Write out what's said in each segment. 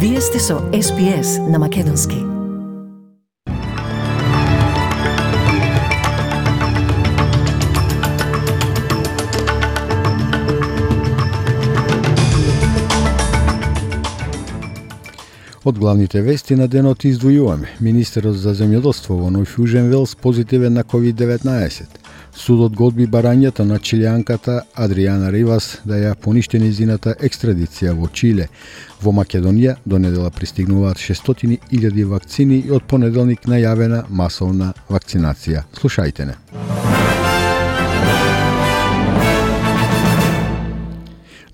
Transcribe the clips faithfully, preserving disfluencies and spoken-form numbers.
Вие сте со Ес Би Ес на Македонски. Од главните вести на денот издвојуваме: министерот за земјоделство во Нов Јужен Велс позитивен на ковид деветнаесет. Судот го одби барањето на чилијанката Адриана Ривас да ја поништи нејзината екстрадиција во Чиле. Во Македонија до недела пристигнуваат шестстотини илјади вакцини и од понеделник најавена масовна вакцинација. Слушајте не.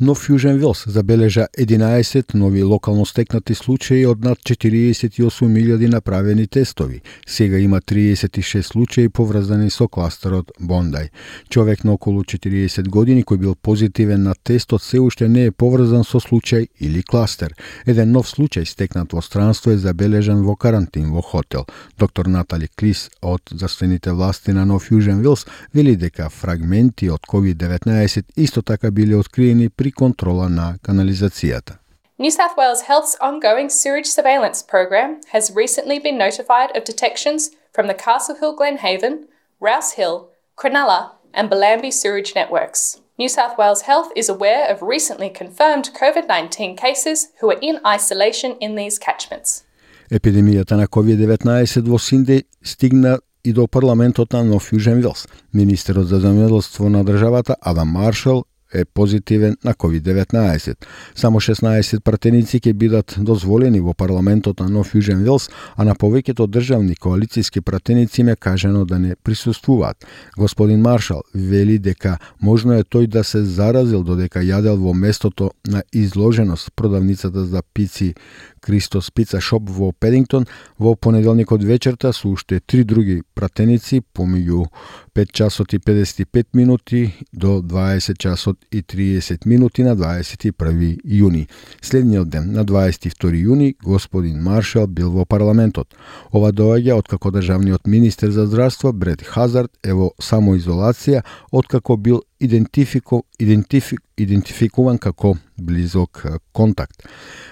Нов Јужен Велс забележа единаесет нови локално стекнати случаи од над четириесет и осум илјади направени тестови. Сега има триесет и шест случаи поврзани со кластерот Бондај. Човек на околу четириесет години кој бил позитивен на тестот се уште не е поврзан со случај или кластер. Еден нов случај стекнат во странство е забележан во карантин во хотел. Доктор Натали Клис од здравствените власти на Нов Јужен Велс вели дека фрагменти од ковид деветнаесет исто така биле откриени при контрола на канализацијата. New South Wales Health's ongoing sewage surveillance program has recently been notified of detections from the Castle Hill Glenhaven, Rouse Hill, Cronulla and Bellambi sewage networks. New South Wales Health is aware of recently confirmed COVID nineteen cases who are in isolation in these catchments. Епидемијата на ковид деветнаесет во Сиднеј стигна и до парламентот на Нов Јужен Велс. Министерот за земјоделство на државата Адам Маршал е позитивен на ковид деветнаесет. Само шеснаесет пратеници ќе бидат дозволени во парламентот на Нов Јужен Велс, а на повеќето државни коалициски пратеници им е кажано да не присуствуваат. Господин Маршал вели дека можно е тој да се заразил додека јадел во местото на изложеност продавницата за пици Кристос Пица Шоп во Педингтон во понеделникот вечерта со уште три други пратеници помеѓу пет часот и педесет и пет минути до дваесет часот и триесет минути на дваесет и први јуни. Следниот ден, на дваесет и втори јуни, господин Маршал бил во парламентот. Ова доаѓа откако државниот министер за здравство Брет Хазард е во самоизолација откако бил идентифику, идентифик, идентификуван како близок контакт.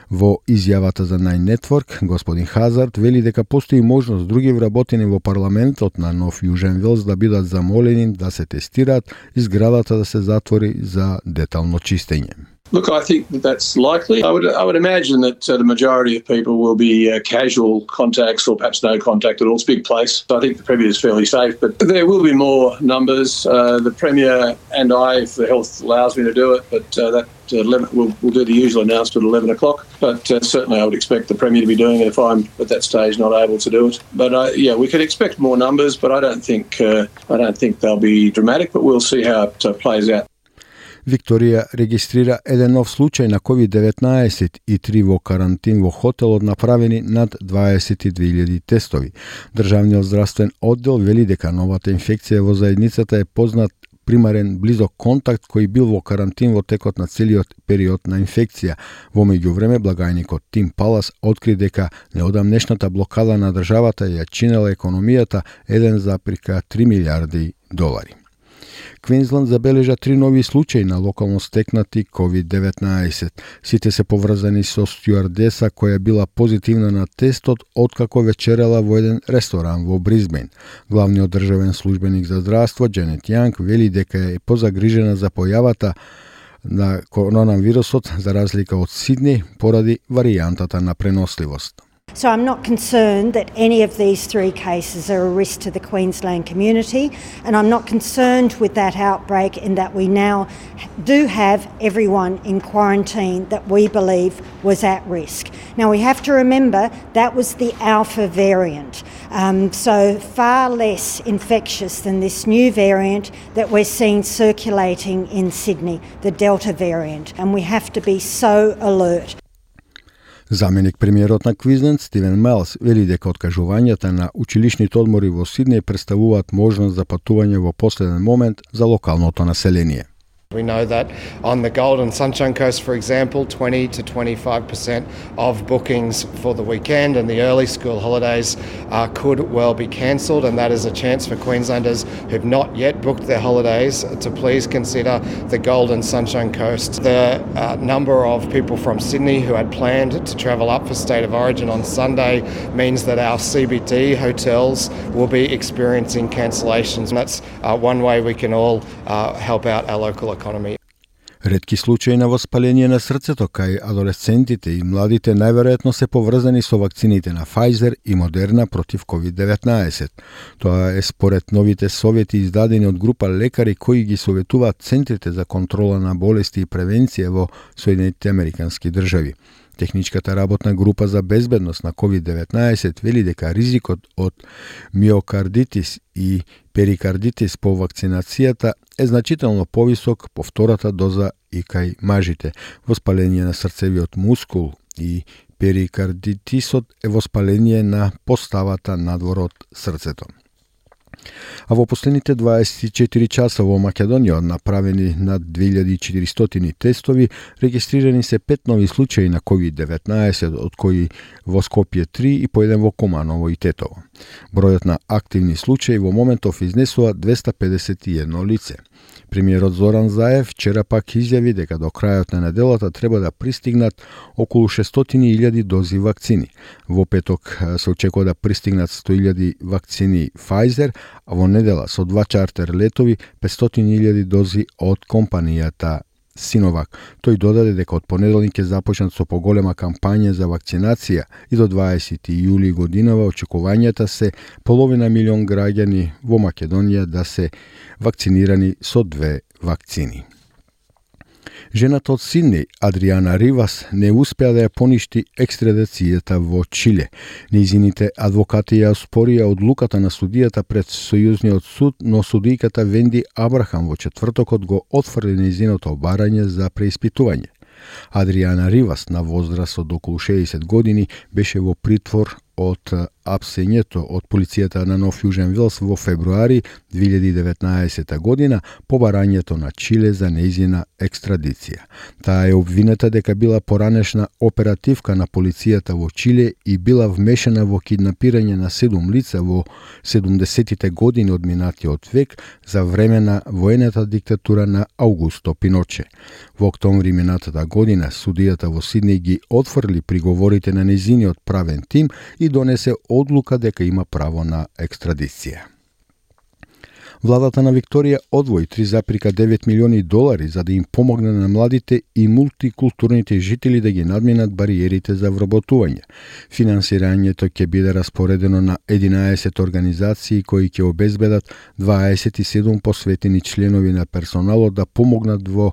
Во изјавата за Nine Network, господин Хазард вели дека постои можност други вработени во парламентот на Нов Јужен Велс да бидат замолени да се тестираат и зградата да се затвори за детално чистење. Look, I think that that's likely. I would, I would imagine that uh, the majority of people will be uh, casual contacts or perhaps no contact at all. It's a big place. I think the Premier is fairly safe, but there will be more numbers. Uh, the Premier and I, if the health allows me to do it, but uh, that uh, eleven, we'll, we'll do the usual announcement at eleven o'clock. But uh, certainly I would expect the Premier to be doing it if I'm at that stage not able to do it. But uh, yeah, we could expect more numbers, but I don't think uh, I don't think they'll be dramatic. But we'll see how it uh, plays out. Викторија регистрира еден нов случај на ковид деветнаесет и три во карантин во хотелот направени над дваесет и две илјади тестови. Државниот здравствен оддел вели дека новата инфекција во заедницата е познат примарен близок контакт кој бил во карантин во текот на целиот период на инфекција. Во меѓувреме, благајникот Тим Палас откри дека неодамнешната блокада на државата ја чинела економијата еден зарез три милијарди долари. Квинсленд забележа три нови случаи на локално стекнати ковид деветнаесет. Сите се поврзани со стюардеса која била позитивна на тестот откако вечерала во еден ресторан во Бризбен. Главниот државен службеник за здравство Дженет Јанг вели дека е позагрижена за појавата на коронавирусот за разлика од Сиднеј поради варијантата на преносливост. So I'm not concerned that any of these three cases are a risk to the Queensland community, and I'm not concerned with that outbreak in that we now do have everyone in quarantine that we believe was at risk. Now we have to remember that was the Alpha variant, um, so far less infectious than this new variant that we're seeing circulating in Sydney, the Delta variant, and we have to be so alert. Заменик премиерот на Квинсленд Стивен Мелс вели дека откажувањата на училишните одмори во Сиднеј представуваат можност за патување во последен момент за локалното население. We know that on the Gold and Sunshine Coast, for example, twenty to twenty-five percent of bookings for the weekend and the early school holidays uh, could well be cancelled, and that is a chance for Queenslanders who've not yet booked their holidays to please consider the Gold and Sunshine Coast. The uh, number of people from Sydney who had planned to travel up for State of Origin on Sunday means that our C B D hotels will be experiencing cancellations. And that's uh, one way we can all uh, help out our local economy. Ретки случаи на воспаление на срцето кај адолесцентите и младите најверојатно се поврзани со вакцините на Pfizer и Moderna против ковид деветнаесет. Тоа е според новите совети издадени од група лекари кои ги советуваат центрите за контрола на болести и превенција во Соединетите Американски држави. Техничката работна група за безбедност на ковид деветнаесет вели дека ризикот од миокардитис и перикардитис по вакцинацијата е значително повисок по втората доза и кај мажите. Воспаление на срцевиот мускул и перикардитисот е воспаление на поставата надвор од срцето. А во последните дваесет и четири часа во Македонија направени над две илјади и четиристотини тестови, регистрирани се пет нови случаи на ковид деветнаесет, од кои во Скопје три и по еден во Команово и Тетово. Бројот на активни случаи во моментов изнесува двеста педесет и едно лице. Премиерот Зоран Заев вчера пак изјави дека до крајот на неделата треба да пристигнат околу шестстотини илјади дози вакцини. Во петок се очекува да пристигнат сто илјади вакцини Pfizer, а во недела со два чартер летови петстотини илјади дози од компанијата Синовак. Тој додаде дека од понеделник ќе започнат со поголема кампања за вакцинација и до дваесети јули годинава очекувањата се половина милион граѓани во Македонија да се вакцинирани со две вакцини. Жената од Сиднеј, Адриана Ривас, не успеа да ја поништи екстрадацијата во Чиле. Нејзините адвокати ја оспорија одлуката на судијата пред Сојузниот суд, но судијката Венди Абрахам во четвртокот го отфрли нејзиното барање за преиспитување. Адриана Ривас, на возраст од околу шеесет години, беше во притвор од апсењето од полицијата на Нов Јужен Велс во февруари две илјади и деветнаесета година по барањето на Чиле за нејзина екстрадиција. Таа е обвинета дека била поранешна оперативка на полицијата во Чиле и била вмешана во киднапирање на седум лица во седумдесетите години од минатиот век за време на воената диктатура на Аугусто Пиноче. Во октомври минатата година судијата во Сиднеј ги отфрли приговорите на нејзиниот правен тим и донесе одлука дека има право на екстрадиција. Владата на Викторија одвои три запирка девет милиони долари за да им помогне на младите и мултикултурните жители да ги надминат бариерите за вработување. Финансирањето ќе биде распоредено на единаесет организации кои ќе обезбедат дваесет и седум посветени членови на персоналот да помогнат во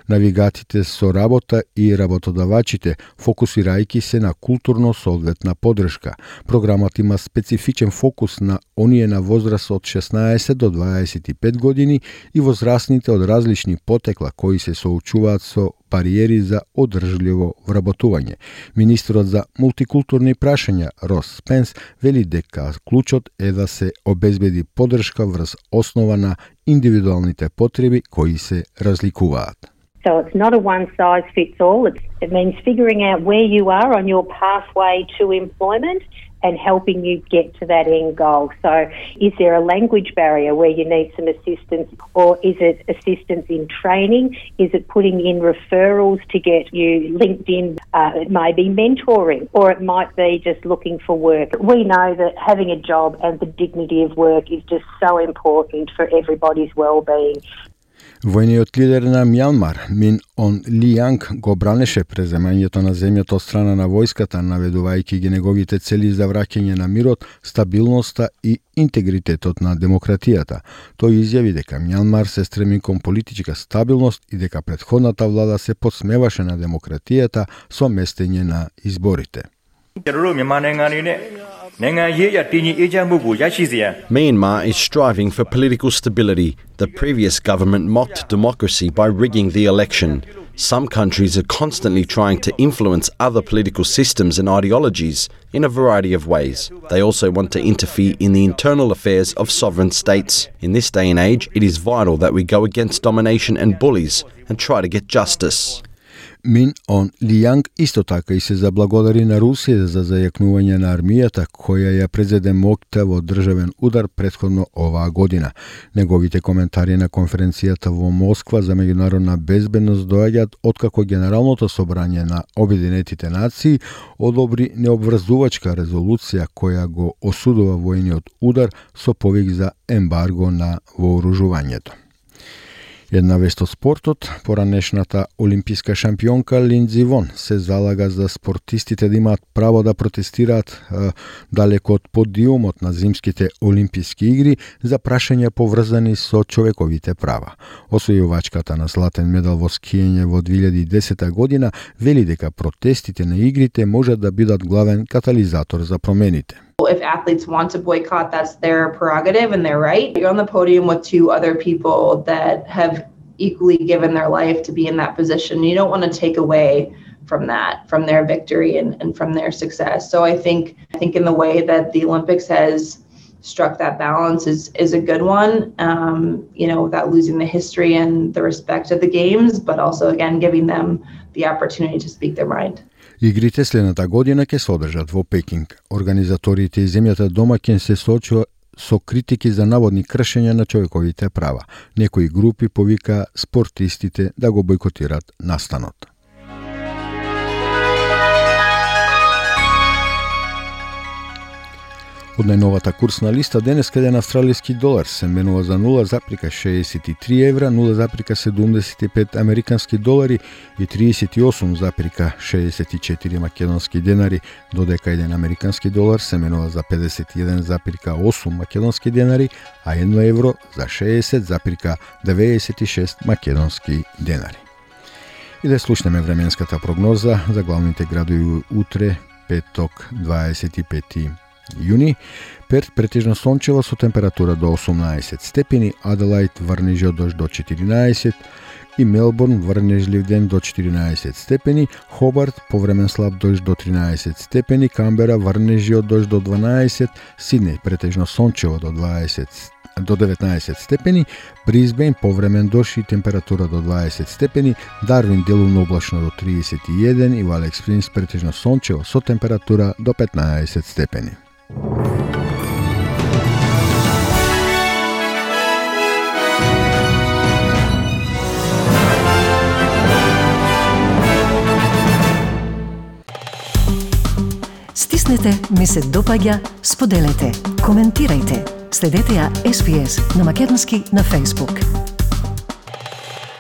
навигатите со работа и работодавачите, фокусирајќи се на културно соодветна подршка. Програмот има специфичен фокус на оние на возраст од шеснаесет до дваесет и пет години и возрастните од различни потекла кои се соочуваат со бариери за одржливо вработување. Министерот за мултикултурни прашања Рос Спенс вели дека клучот е да се обезбеди подршка врз основа на индивидуалните потреби кои се разликуваат. So it's not a one-size-fits-all. It's, it means figuring out where you are on your pathway to employment and helping you get to that end goal. So is there a language barrier where you need some assistance, or is it assistance in training? Is it putting in referrals to get you linked in? Uh, it may be mentoring, or it might be just looking for work. We know that having a job and the dignity of work is just so important for everybody's well-being. Војниот лидер на Мјанмар, Мин Он Лијанг, го бранеше преземањето на земјата од страна на војската, наведувајќи ги неговите цели за враќање на мирот, стабилноста и интегритетот на демократијата. Тој изјави дека Мјанмар се стреми кон политичка стабилност и дека претходната влада се подсмеваше на демократијата со местење на изборите. Myanmar is striving for political stability. The previous government mocked democracy by rigging the election. Some countries are constantly trying to influence other political systems and ideologies in a variety of ways. They also want to interfere in the internal affairs of sovereign states. In this day and age, it is vital that we go against domination and bullies and try to get justice. Min On Liang isto така и се заблагодари на Русија за зајакнување на армијата која ја презеде моќта во државен удар претходно оваа година. Неговите коментари на конференцијата во Москва за меѓународна безбедност доаѓаат откако Генералното собрање на Обединетите нации одобри необврзувачка резолуција која го осудува војниот удар со повик за ембарго на вооружувањето. Една вест од спортот, поранешната олимписка шампионка Линдзи Вон се залага за спортистите да имаат право да протестираат е, далеко од подиумот на зимските олимписки игри за прашања поврзани со човековите права. Освојувачката на златен медал во скијање во две илјади и десета година вели дека протестите на игрите можат да бидат главен катализатор за промените. If athletes want to boycott, that's their prerogative and their right. You're on the podium with two other people that have equally given their life to be in that position. You don't want to take away from that, from their victory and, and from their success. So I think I think in the way that the Olympics has struck that balance is is a good one, um, you know, without losing the history and the respect of the games, but also, again, giving them the opportunity to speak their mind. Игрите следната година ќе се одржат во Пекинг. Организаторите и земјата домаќин се соочува со критики за наводни кршења на човековите права. Некои групи повика спортистите да го бойкотираат настанот. Од најновата курсна листа денеска еден австралиски долар се менува за нула запирка шеесет и три евра, нула запирка седумдесет и пет американски долари и триесет и осум запирка шеесет и четири македонски денари, додека еден американски долар се менува за педесет и еден запирка осум македонски денари, а едно евро за шеесет запирка деветдесет и шест македонски денари. И да слушнеме временската прогноза за главните градови утре, петок, дваесет и пети јуни. Перт претежно сончево со температура до осумнаесет степени, Аделаид врнежлив дожд до четиринаесет и Мелбурн врнежлив ден до четиринаесет степени, Хобарт повремен слаб дожд до тринаесет степени, Камбера врнежлив дожд до дванаесет, Сиднеј претежно сончево до дваесет до деветнаесет степени, Брисбејн повремен дожд и температура до дваесет степени, Дарвин делумно облачно до триесет и еден и во Алекс Спрингс претежно сончево со температура до петнаесет степени. Стиснете, ми се допаѓа, споделете, коментирајте. Следете ја Ес Би Ес на македонски на Facebook.